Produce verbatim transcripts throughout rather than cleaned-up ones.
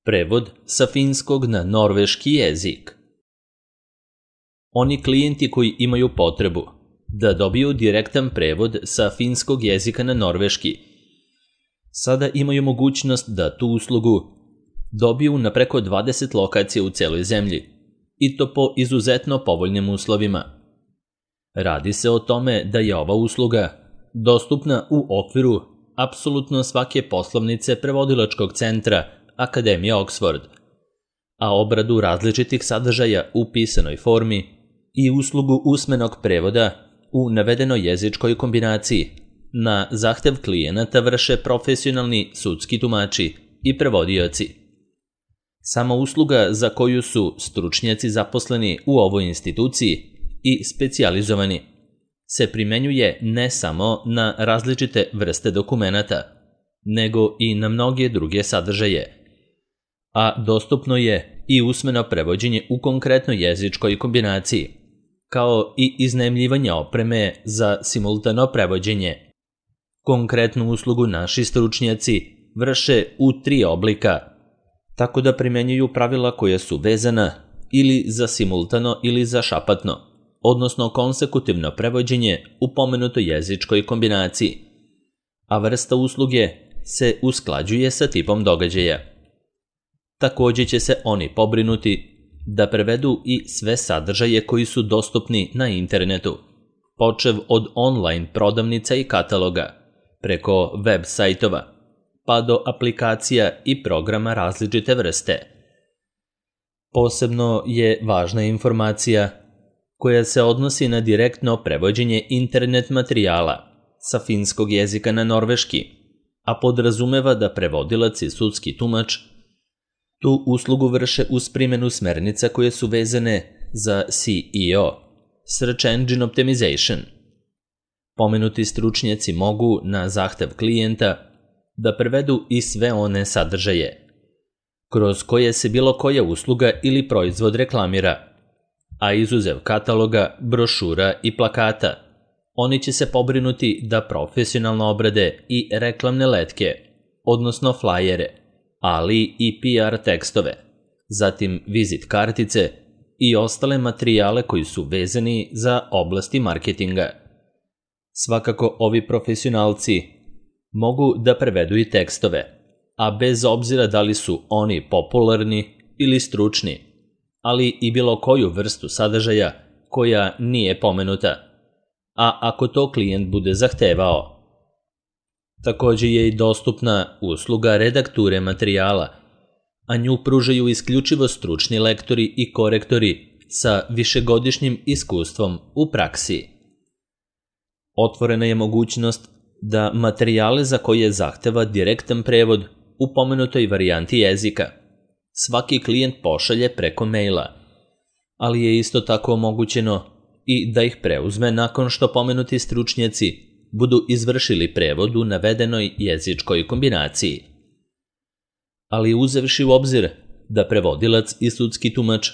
Prevod sa finskog na norveški jezik. Oni klijenti koji imaju potrebu da dobiju direktan prevod sa finskog jezika na norveški, sada imaju mogućnost da tu uslugu dobiju na preko dvadeset lokacija u celoj zemlji, i to po izuzetno povoljnim uslovima. Radi se o tome da je ova usluga dostupna u okviru apsolutno svake poslovnice prevodilačkog centra Akademije Oxford, a obradu različitih sadržaja u pisanoj formi i uslugu usmenog prevoda u navedenoj jezičkoj kombinaciji na zahtev klijenata vrše profesionalni sudski tumači i prevodioci. Sama usluga za koju su stručnjaci zaposleni u ovoj instituciji i specijalizovani se primenjuje ne samo na različite vrste dokumenata, nego i na mnoge druge sadržaje, a dostupno je i usmeno prevođenje u konkretnoj jezičkoj kombinaciji, kao i iznajmljivanje opreme za simultano prevođenje. Konkretnu uslugu naši stručnjaci vrše u tri oblika, tako da primenjuju pravila koja su vezana ili za simultano ili za šapatno, odnosno konsekutivno prevođenje u pomenutoj jezičkoj kombinaciji, a vrsta usluge se usklađuje sa tipom događaja. Takođe će se oni pobrinuti da prevedu i sve sadržaje koji su dostupni na internetu, počev od online prodavnica i kataloga, preko web sajtova, pa do aplikacija i programa različite vrste. Posebno je važna informacija koja se odnosi na direktno prevođenje internet materijala sa finskog jezika na norveški, a podrazumeva da prevodilac i sudski tumač tu uslugu vrše uz primjenu smernica koje su vezane za S E O, Search Engine Optimization. Pomenuti stručnjaci mogu na zahtev klijenta da prevedu i sve one sadržaje kroz koje se bilo koja usluga ili proizvod reklamira, a izuzev kataloga, brošura i plakata, oni će se pobrinuti da profesionalno obrade i reklamne letke, odnosno flajere, ali i P R tekstove, zatim vizit kartice i ostale materijale koji su vezani za oblasti marketinga. Svakako ovi profesionalci mogu da prevedu i tekstove, a bez obzira da li su oni popularni ili stručni, ali i bilo koju vrstu sadržaja koja nije pomenuta, a ako to klijent bude zahtevao. Takođe je i dostupna usluga redakture materijala, a nju pružaju isključivo stručni lektori i korektori sa višegodišnjim iskustvom u praksi. Otvorena je mogućnost da materijale za koje zahteva direktan prevod u pomenutoj varijanti jezika svaki klijent pošalje preko maila, ali je isto tako omogućeno i da ih preuzme nakon što pomenuti stručnjaci budu izvršili prevod u navedenoj jezičkoj kombinaciji. Ali uzevši u obzir da prevodilac i sudski tumač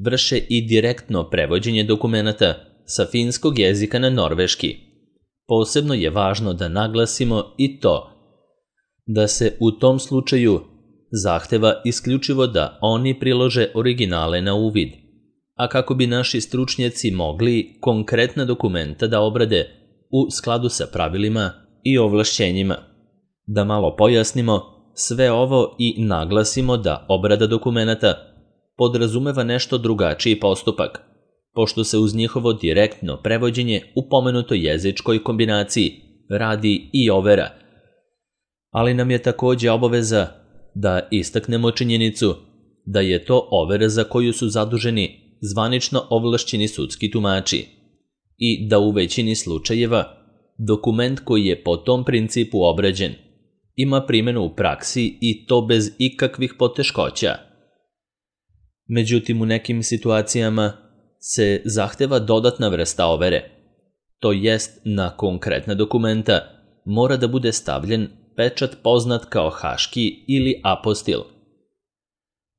vrše i direktno prevođenje dokumenata sa finskog jezika na norveški, posebno je važno da naglasimo i to da se u tom slučaju zahteva isključivo da oni prilože originale na uvid, a kako bi naši stručnjaci mogli konkretna dokumenta da obrade u skladu sa pravilima i ovlašćenjima. Da malo pojasnimo sve ovo i naglasimo da obrada dokumenata podrazumeva nešto drugačiji postupak, pošto se uz njihovo direktno prevođenje u pomenutoj jezičkoj kombinaciji radi i overa. Ali nam je takođe obaveza da istaknemo činjenicu da je to overa za koju su zaduženi zvanično ovlašćeni sudski tumači i da u većini slučajeva dokument koji je po tom principu obrađen ima primjenu u praksi i to bez ikakvih poteškoća. Međutim, u nekim situacijama se zahteva dodatna vrsta overe, to jest na konkretna dokumenta mora da bude stavljen pečat poznat kao haški ili apostil.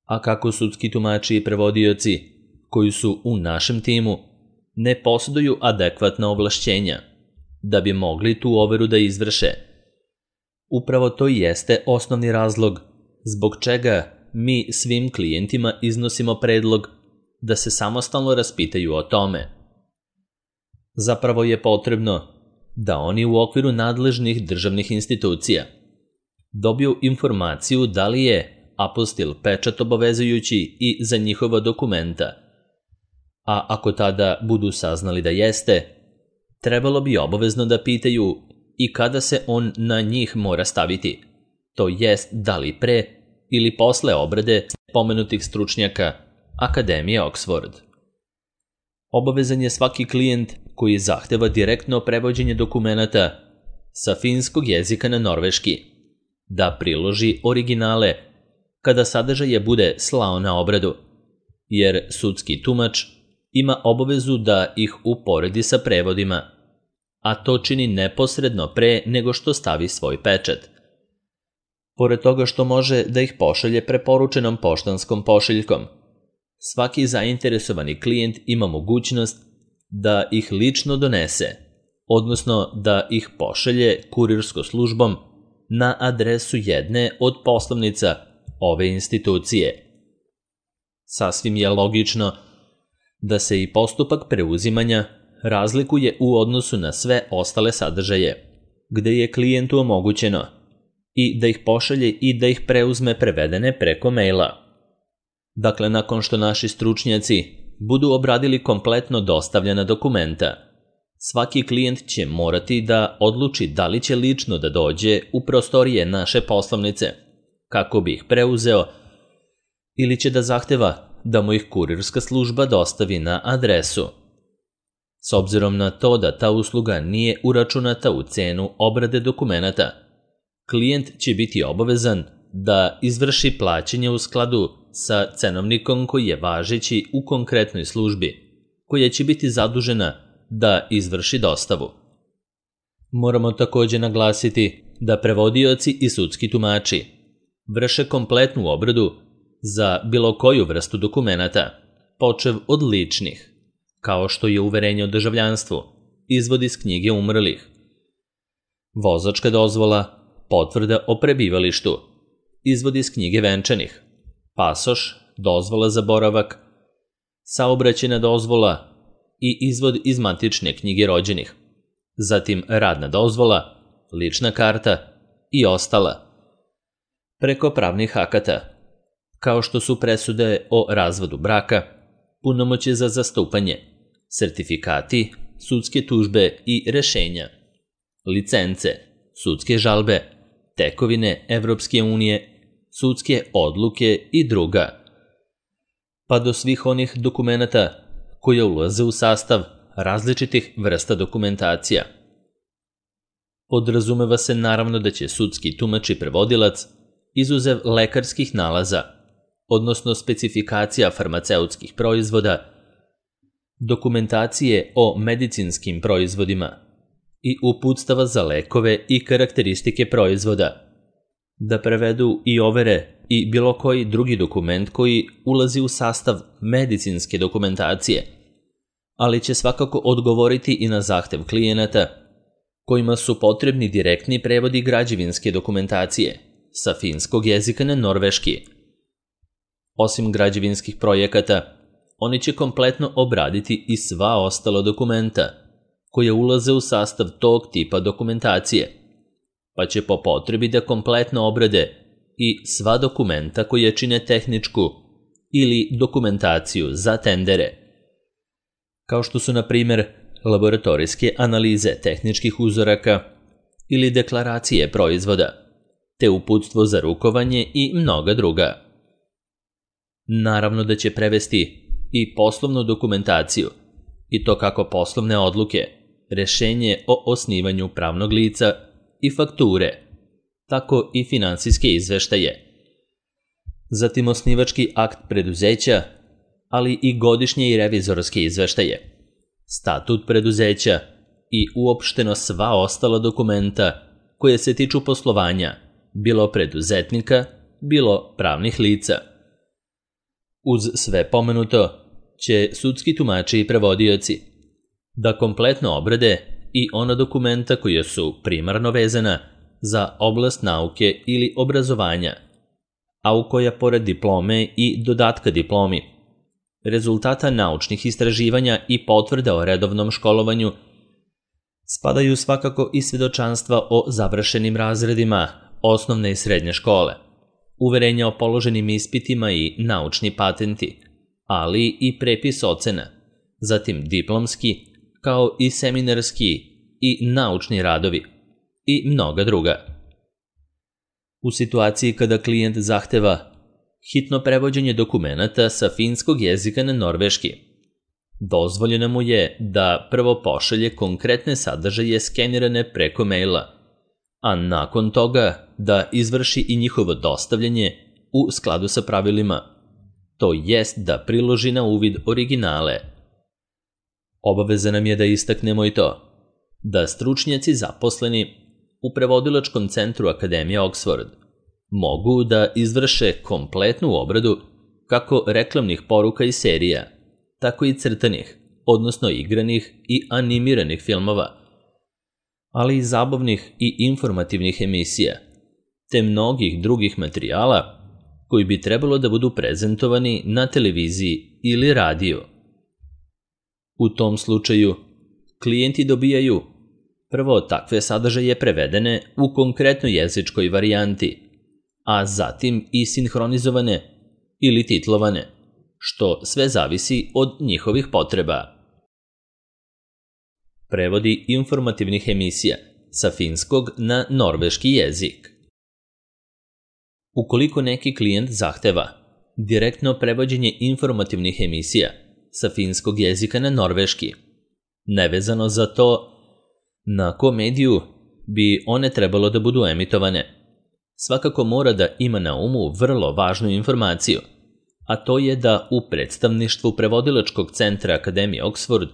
A kako sudski tumači i prevodioci koji su u našem timu ne posjeduju adekvatna ovlašćenja da bi mogli tu overu da izvrše, upravo to jeste osnovni razlog zbog čega mi svim klijentima iznosimo predlog da se samostalno raspitaju o tome. Zapravo je potrebno da oni u okviru nadležnih državnih institucija dobiju informaciju da li je apostil pečat obavezujući i za njihova dokumenta, a ako tada budu saznali da jeste, trebalo bi obavezno da pitaju i kada se on na njih mora staviti, to jest da li pre ili posle obrade pomenutih stručnjaka Akademije Oxford. Obavezan je svaki klijent koji zahteva direktno prevođenje dokumenata sa finskog jezika na norveški da priloži originale kada sadržaje bude slao na obradu, jer sudski tumač ima obavezu da ih uporedi sa prevodima, a to čini neposredno pre nego što stavi svoj pečat. Pored toga što može da ih pošalje preporučenom poštanskom pošiljkom, svaki zainteresovani klijent ima mogućnost da ih lično donese, odnosno da ih pošalje kurirskom službom na adresu jedne od poslovnica ove institucije. Sasvim je logično da se i postupak preuzimanja razlikuje u odnosu na sve ostale sadržaje, gde je klijentu omogućeno i da ih pošalje i da ih preuzme prevedene preko maila. Dakle, nakon što naši stručnjaci budu obradili kompletno dostavljena dokumenta, svaki klijent će morati da odluči da li će lično da dođe u prostorije naše poslovnice kako bi ih preuzeo ili će da zahteva da mu ih kurirska služba dostavi na adresu. S obzirom na to da ta usluga nije uračunata u cenu obrade dokumenata, klijent će biti obavezan da izvrši plaćanje u skladu sa cenovnikom koji je važeći u konkretnoj službi, koja će biti zadužena da izvrši dostavu. Moramo također naglasiti da prevodioci i sudski tumači vrše kompletnu obradu za bilo koju vrstu dokumenata, počev od ličnih, kao što je uverenje o državljanstvu, izvod iz knjige umrlih, vozačka dozvola, potvrda o prebivalištu, izvod iz knjige venčanih, pasoš, dozvola za boravak, saobraćajna dozvola i izvod iz matične knjige rođenih, zatim radna dozvola, lična karta i ostala. Preko pravnih akata, kao što su presude o razvodu braka, punomoćje za zastupanje, sertifikati, sudske tužbe i rešenja, licence, sudske žalbe, tekovine Evropske unije, sudske odluke i druga, pa do svih onih dokumenata koje ulaze u sastav različitih vrsta dokumentacija. Podrazumeva se naravno da će sudski tumač i prevodilac, izuzev lekarskih nalaza, odnosno specifikacija farmaceutskih proizvoda, dokumentacije o medicinskim proizvodima i uputstava za lekove i karakteristike proizvoda, da prevedu i overe i bilo koji drugi dokument koji ulazi u sastav medicinske dokumentacije, ali će svakako odgovoriti i na zahtev klijenata kojima su potrebni direktni prevodi građevinske dokumentacije sa finskog jezika na norveški. Osim građevinskih projekata, oni će kompletno obraditi i sva ostala dokumenta koje ulaze u sastav tog tipa dokumentacije, pa će po potrebi da kompletno obrade i sva dokumenta koje čine tehničku ili dokumentaciju za tendere, kao što su, na primjer, laboratorijske analize tehničkih uzoraka ili deklaracije proizvoda, te uputstvo za rukovanje i mnoga druga. Naravno da će prevesti i poslovnu dokumentaciju, i to kako poslovne odluke, rešenje o osnivanju pravnog lica i fakture, tako i finansijske izveštaje. Zatim osnivački akt preduzeća, ali i godišnje i revizorske izveštaje, statut preduzeća i uopšteno sva ostala dokumenta koje se tiču poslovanja, bilo preduzetnika, bilo pravnih lica. Uz sve pomenuto će sudski tumači i prevodioci da kompletno obrade i ona dokumenta koja su primarno vezana za oblast nauke ili obrazovanja, a u koja pored diplome i dodatka diplomi, rezultata naučnih istraživanja i potvrda o redovnom školovanju, spadaju svakako i svjedočanstva o završenim razredima osnovne i srednje škole, uverenja o položenim ispitima i naučni patenti, ali i prepis ocena, zatim diplomski, kao i seminarski i naučni radovi i mnoga druga. U situaciji kada klijent zahteva hitno prevođenje dokumenata sa finskog jezika na norveški, dozvoljeno mu je da prvo pošalje konkretne sadržaje skenirane preko maila, a nakon toga da izvrši i njihovo dostavljanje u skladu sa pravilima, to jest da priloži na uvid originale. Obaveza nam je da istaknemo i to, da stručnjaci zaposleni u prevodilačkom centru Akademije Oxford mogu da izvrše kompletnu obradu kako reklamnih poruka i serija, tako i crtanih, odnosno igranih i animiranih filmova, ali i zabavnih i informativnih emisija, te mnogih drugih materijala koji bi trebalo da budu prezentovani na televiziji ili radiju. U tom slučaju, klijenti dobijaju prvo takve sadržaje prevedene u konkretnoj jezičkoj varijanti, a zatim i sinhronizovane ili titlovane, što sve zavisi od njihovih potreba. Prevodi informativnih emisija sa finskog na norveški jezik. Ukoliko neki klijent zahteva direktno prevođenje informativnih emisija sa finskog jezika na norveški, nevezano za to na kom mediju bi one trebalo da budu emitovane, svakako mora da ima na umu vrlo važnu informaciju, a to je da u predstavništvu prevodilačkog centra Akademije Oxford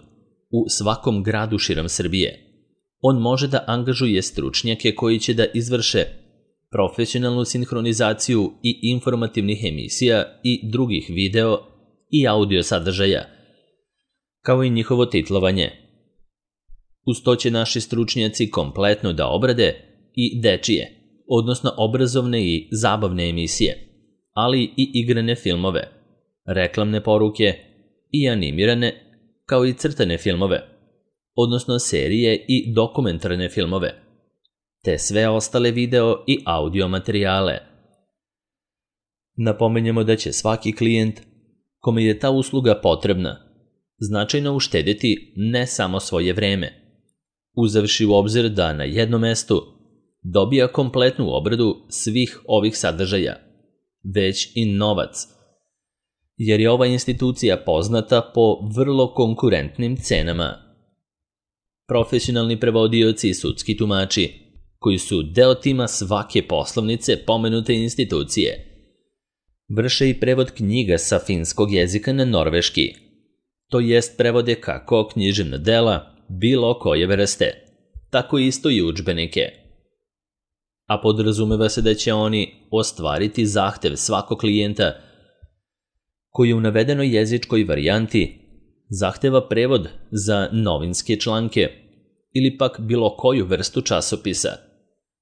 u svakom gradu širom Srbije on može da angažuje stručnjake koji će da izvrše profesionalnu sinhronizaciju i informativnih emisija i drugih video i audio sadržaja, kao i njihovo titlovanje. Uz to će naši stručnjaci kompletno da obrade i dečije, odnosno obrazovne i zabavne emisije, ali i igrane filmove, reklamne poruke i animirane, kao i crtane filmove, odnosno serije i dokumentarne filmove, te sve ostale video i audio materijale. Napomenjemo da će svaki klijent kome je ta usluga potrebna značajno uštediti ne samo svoje vreme, uzevši u obzir da na jednom mestu dobija kompletnu obradu svih ovih sadržaja, već i novac, jer je ova institucija poznata po vrlo konkurentnim cenama. Profesionalni prevodioci i sudski tumači, koji su deo tima svake poslovnice pomenute institucije, vrše i prevod knjiga sa finskog jezika na norveški, to jest prevode kako književna dela bilo koje vrste, tako isto i udžbenike. A podrazumeva se da će oni ostvariti zahtev svakog klijenta koji u navedenoj jezičkoj varijanti zahteva prevod za novinske članke ili pak bilo koju vrstu časopisa,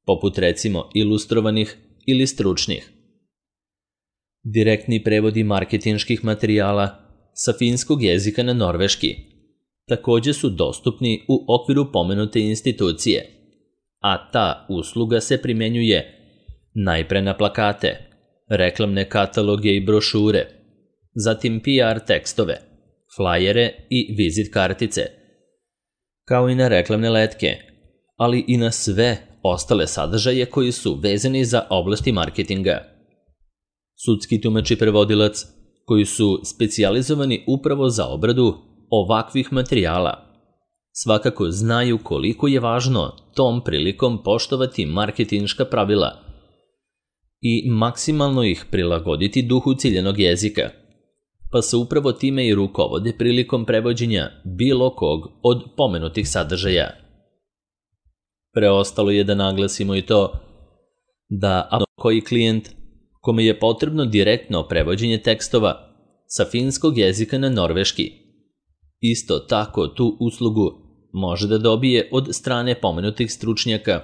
poput recimo ilustrovanih ili stručnih. Direktni prevodi marketinških materijala sa finskog jezika na norveški takođe su dostupni u okviru pomenute institucije, a ta usluga se primenjuje najpre na plakate, reklamne kataloge i brošure, zatim P R tekstove, flajere i vizit kartice, kao i na reklamne letke, ali i na sve ostale sadržaje koji su vezani za oblasti marketinga. Sudski tumač i prevodilac, koji su specijalizovani upravo za obradu ovakvih materijala, svakako znaju koliko je važno tom prilikom poštovati marketinška pravila i maksimalno ih prilagoditi duhu ciljanog jezika, pa se upravo time i rukovode prilikom prevođenja bilo kog od pomenutih sadržaja. Preostalo je da naglasimo i to da ako koji klijent kome je potrebno direktno prevođenje tekstova sa finskog jezika na norveški, isto tako tu uslugu može da dobije od strane pomenutih stručnjaka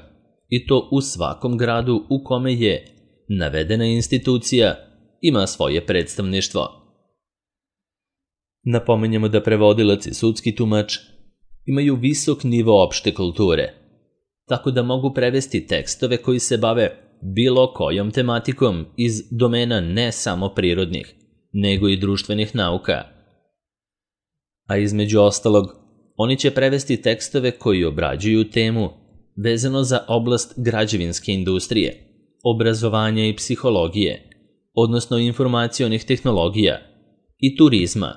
i to u svakom gradu u kome je navedena institucija ima svoje predstavništvo. Napominjemo da prevodilac i sudski tumač imaju visok nivo opšte kulture, tako da mogu prevesti tekstove koji se bave bilo kojom tematikom iz domena ne samo prirodnih, nego i društvenih nauka. A između ostalog, oni će prevesti tekstove koji obrađuju temu vezano za oblast građevinske industrije, obrazovanja i psihologije, odnosno informacionih tehnologija i turizma,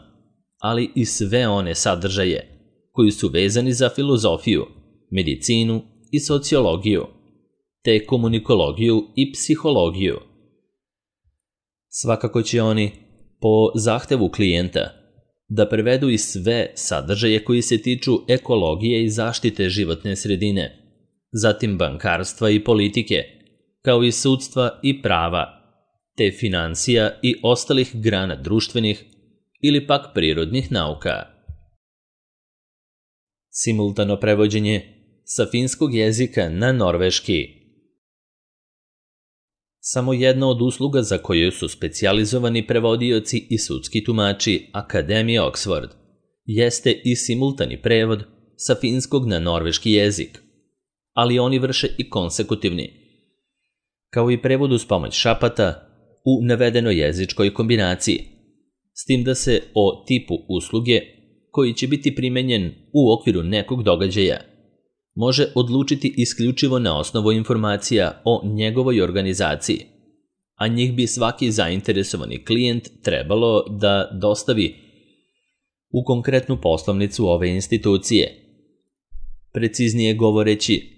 ali i sve one sadržaje koji su vezani za filozofiju, medicinu i sociologiju, te komunikologiju i psihologiju. Svakako će oni, po zahtevu klijenta, da prevedu i sve sadržaje koji se tiču ekologije i zaštite životne sredine, zatim bankarstva i politike, kao i sudstva i prava, te financija i ostalih grana društvenih ili pak prirodnih nauka. Simultano prevođenje sa finskog jezika na norveški. Samo jedna od usluga za koju su specijalizovani prevodioci i sudski tumači Akademije Oxford jeste i simultani prevod sa finskog na norveški jezik, ali oni vrše i konsekutivni, kao i prevod uz pomoć šapata u navedenoj jezičkoj kombinaciji, s tim da se o tipu usluge koji će biti primenjen u okviru nekog događaja može odlučiti isključivo na osnovu informacija o njegovoj organizaciji, a njih bi svaki zainteresovani klijent trebalo da dostavi u konkretnu poslovnicu ove institucije. Preciznije govoreći,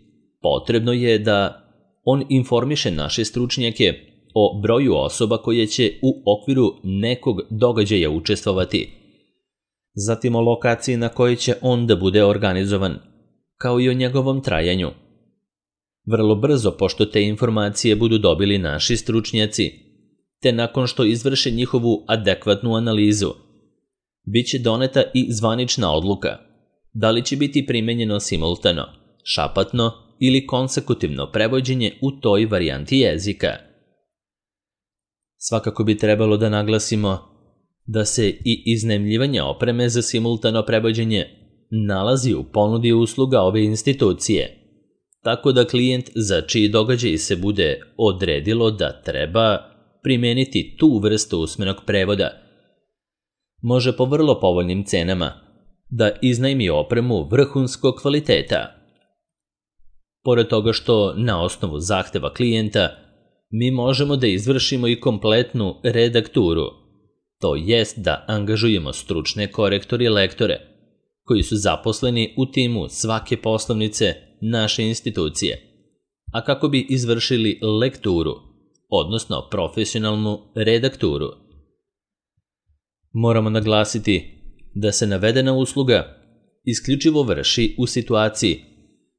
potrebno je da on informiše naše stručnjake o broju osoba koje će u okviru nekog događaja učestvovati, zatim o lokaciji na kojoj će on da bude organizovan, kao i o njegovom trajanju. Vrlo brzo, pošto te informacije budu dobili naši stručnjaci, te nakon što izvrše njihovu adekvatnu analizu, bit će doneta i zvanična odluka da li će biti primenjeno simultano, šapatno ili konsekutivno prevođenje u toj varijanti jezika. Svakako bi trebalo da naglasimo da se i iznajmljivanje opreme za simultano prevođenje nalazi u ponudi usluga ove institucije, tako da klijent za čiji događaj se bude odredilo da treba primeniti tu vrstu usmenog prevoda, može po vrlo povoljnim cenama da iznajmi opremu vrhunskog kvaliteta. Pored toga što na osnovu zahteva klijenta mi možemo da izvršimo i kompletnu redakturu, to jest da angažujemo stručne korektore i lektore koji su zaposleni u timu svake poslovnice naše institucije, a kako bi izvršili lekturu, odnosno profesionalnu redakturu. Moramo naglasiti da se navedena usluga isključivo vrši u situaciji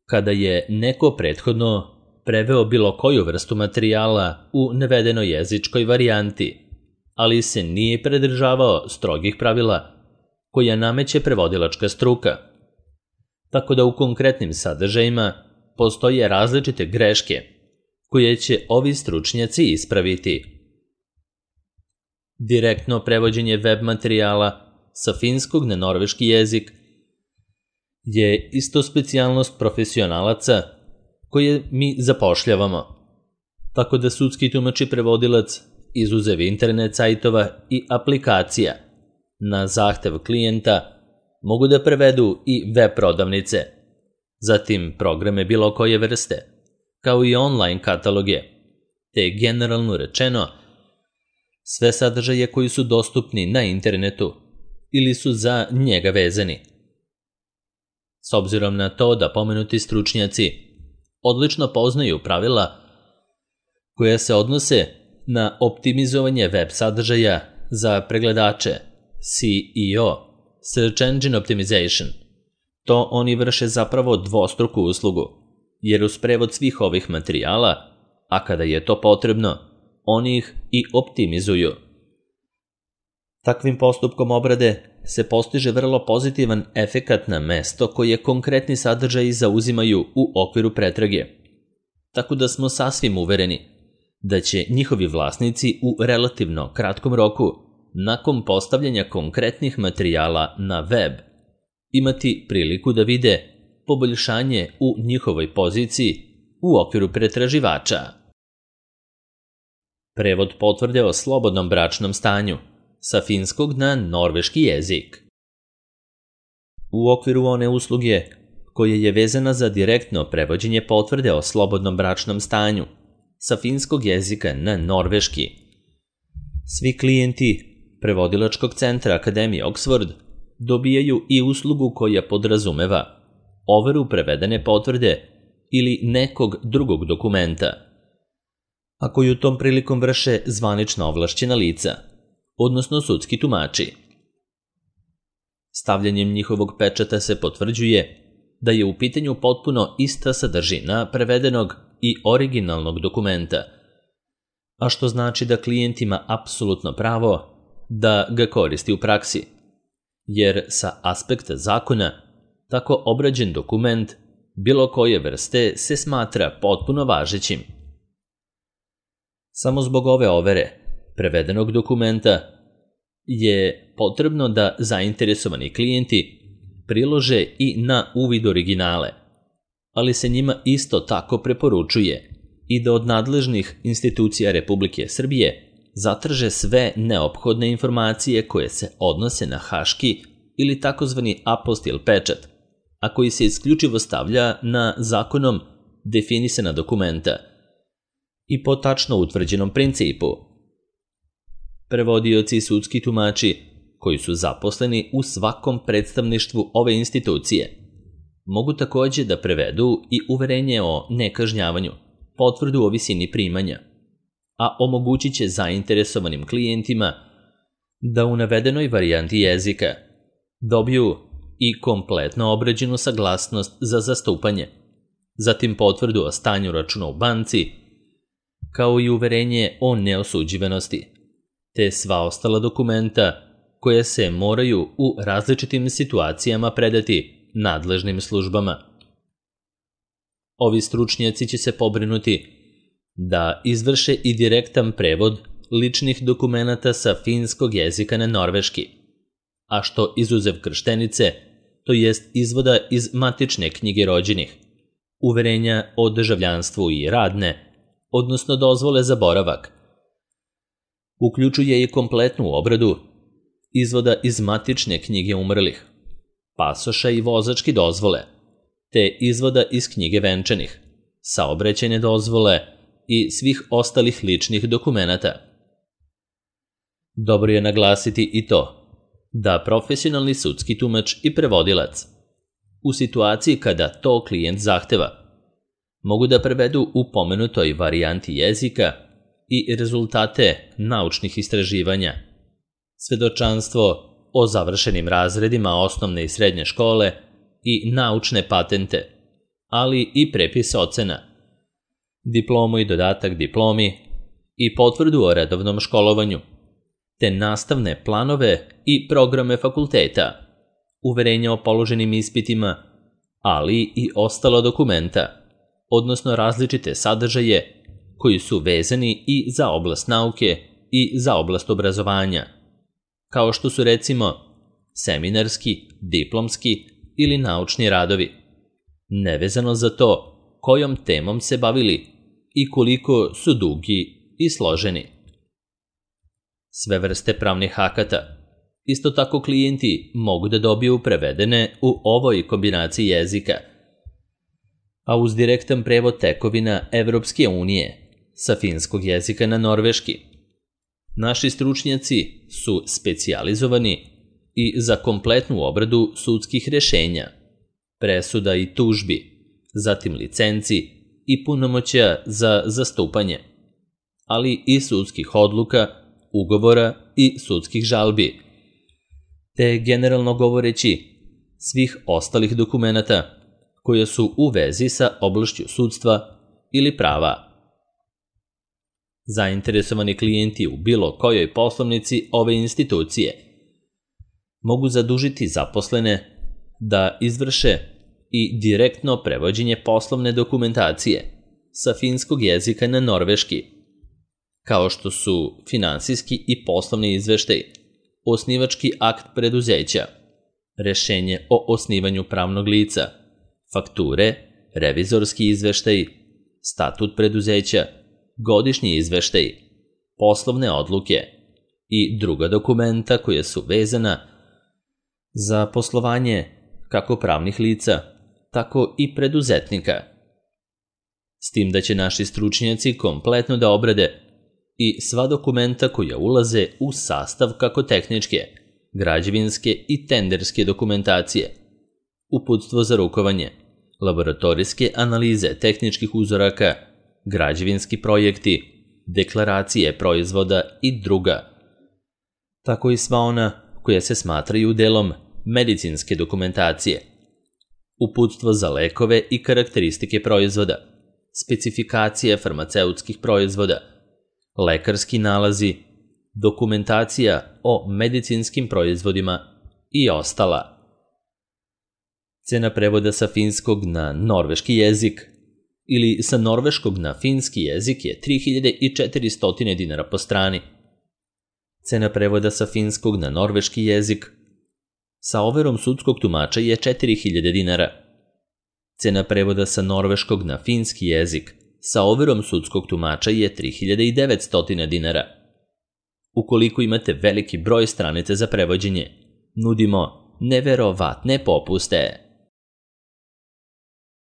kada je neko prethodno preveo bilo koju vrstu materijala u navedenoj jezičkoj varijanti, ali se nije pridržavao strogih pravila koja nameće prevodilačka struka, tako da u konkretnim sadržajima postoje različite greške koje će ovi stručnjaci ispraviti. Direktno prevođenje web materijala sa finskog na norveški jezik je isto specijalnost profesionalaca koje mi zapošljavamo, tako da sudski tumač i prevodilac, izuzev internet sajtova i aplikacija, na zahtev klijenta mogu da prevedu i web prodavnice, zatim programe bilo koje vrste, kao i online kataloge, te generalno rečeno sve sadržaje koji su dostupni na internetu ili su za njega vezani. S obzirom na to da pomenuti stručnjaci odlično poznaju pravila koja se odnose na optimizovanje web sadržaja za pregledače S E O, Search Engine Optimization, to oni vrše zapravo dvostruku uslugu, jer uz prevod svih ovih materijala, a kada je to potrebno, oni ih i optimizuju. Takvim postupkom obrade se postiže vrlo pozitivan efekat na mesto koje konkretni sadržaji zauzimaju u okviru pretrage, tako da smo sasvim uvereni da će njihovi vlasnici u relativno kratkom roku, nakon postavljanja konkretnih materijala na web, imati priliku da vide poboljšanje u njihovoj poziciji u okviru pretraživača. Prevod potvrde o slobodnom bračnom stanju sa finskog na norveški jezik. U okviru one usluge koja je vezana za direktno prevođenje potvrde o slobodnom bračnom stanju sa finskog jezika na norveški, svi klijenti prevodilačkog centra Akademije Oxford dobijaju i uslugu koja podrazumeva overu prevedene potvrde ili nekog drugog dokumenta, a koju tom prilikom vrše zvanična ovlašćena lica, odnosno sudski tumači. Stavljanjem njihovog pečata se potvrđuje da je u pitanju potpuno ista sadržina prevedenog i originalnog dokumenta, a što znači da klijent ima apsolutno pravo da ga koristi u praksi, jer sa aspekta zakona tako obrađen dokument bilo koje vrste se smatra potpuno važećim. Samo zbog ove overe prevedenog dokumenta je potrebno da zainteresovani klijenti prilože i na uvid originale, ali se njima isto tako preporučuje i da od nadležnih institucija Republike Srbije zatraže sve neophodne informacije koje se odnose na haški ili takozvani apostil pečat, a koji se isključivo stavlja na zakonom definisana dokumenta i po tačno utvrđenom principu. Prevodioci i sudski tumači koji su zaposleni u svakom predstavništvu ove institucije mogu takođe da prevedu i uverenje o nekažnjavanju, potvrdu o visini primanja, a omogućit će zainteresovanim klijentima da u navedenoj varijanti jezika dobiju i kompletno obrađenu saglasnost za zastupanje, zatim potvrdu o stanju računa u banci, kao i uverenje o neosuđivanosti, te sva ostala dokumenta koje se moraju u različitim situacijama predati nadležnim službama. Ovi stručnjaci će se pobrinuti da izvrše i direktan prevod ličnih dokumenata sa finskog jezika na norveški, a što izuzev krštenice, to jest izvoda iz matične knjige rođenih, uverenja o državljanstvu i radne, odnosno dozvole za boravak, uključuje i kompletnu obradu izvoda iz matične knjige umrlih, pasoša i vozačke dozvole, te izvoda iz knjige venčanih, saobraćajne dozvole i svih ostalih ličnih dokumenata. Dobro je naglasiti i to da profesionalni sudski tumač i prevodilac, u situaciji kada to klijent zahteva, mogu da prevedu u pomenutoj varijanti jezika i rezultate naučnih istraživanja, svedočanstvo o završenim razredima osnovne i srednje škole i naučne patente, ali i prepis ocena, diplomu i dodatak diplomi i potvrdu o redovnom školovanju, te nastavne planove i programe fakulteta, uverenja o položenim ispitima, ali i ostala dokumenta, odnosno različite sadržaje koji su vezani i za oblast nauke i za oblast obrazovanja, kao što su recimo seminarski, diplomski ili naučni radovi, nevezano za to kojom temom se bavili i koliko su dugi i složeni. Sve vrste pravnih akata, isto tako klijenti mogu da dobiju prevedene u ovoj kombinaciji jezika, a uz direktan prevod tekovina Evropske unije sa finskog jezika na norveški. Naši stručnjaci su specijalizovani i za kompletnu obradu sudskih rešenja, presuda i tužbi, zatim licenci i punomoćja za zastupanje, ali i sudskih odluka, ugovora i sudskih žalbi, te generalno govoreći svih ostalih dokumenata koje su u vezi sa oblašću sudstva ili prava. Zainteresovani klijenti u bilo kojoj poslovnici ove institucije mogu zadužiti zaposlene da izvrše i direktno prevođenje poslovne dokumentacije sa finskog jezika na norveški kao što su finansijski i poslovni izveštaj, osnivački akt preduzeća, rešenje o osnivanju pravnog lica, fakture, revizorski izveštaj, statut preduzeća, godišnji izveštaj, poslovne odluke i druga dokumenta koja su vezana za poslovanje kako pravnih lica, tako i preduzetnika. S tim da će naši stručnjaci kompletno da obrade i sva dokumenta koja ulaze u sastav kako tehničke, građevinske i tenderske dokumentacije, uputstvo za rukovanje, laboratorijske analize tehničkih uzoraka, građevinski projekti, deklaracije proizvoda i druga, tako i sva ona koja se smatraju delom medicinske dokumentacije, uputstvo za lekove i karakteristike proizvoda, specifikacije farmaceutskih proizvoda, lekarski nalazi, dokumentacija o medicinskim proizvodima i ostala. Cena prevoda sa finskog na norveški jezik ili sa norveškog na finski jezik je tri hiljade četiristo dinara po strani. Cena prevoda sa finskog na norveški jezik sa overom sudskog tumača je četiri hiljade dinara. Cena prevoda sa norveškog na finski jezik sa overom sudskog tumača je tri hiljade devetsto dinara. Ukoliko imate veliki broj stranica za prevođenje, nudimo neverovatne popuste.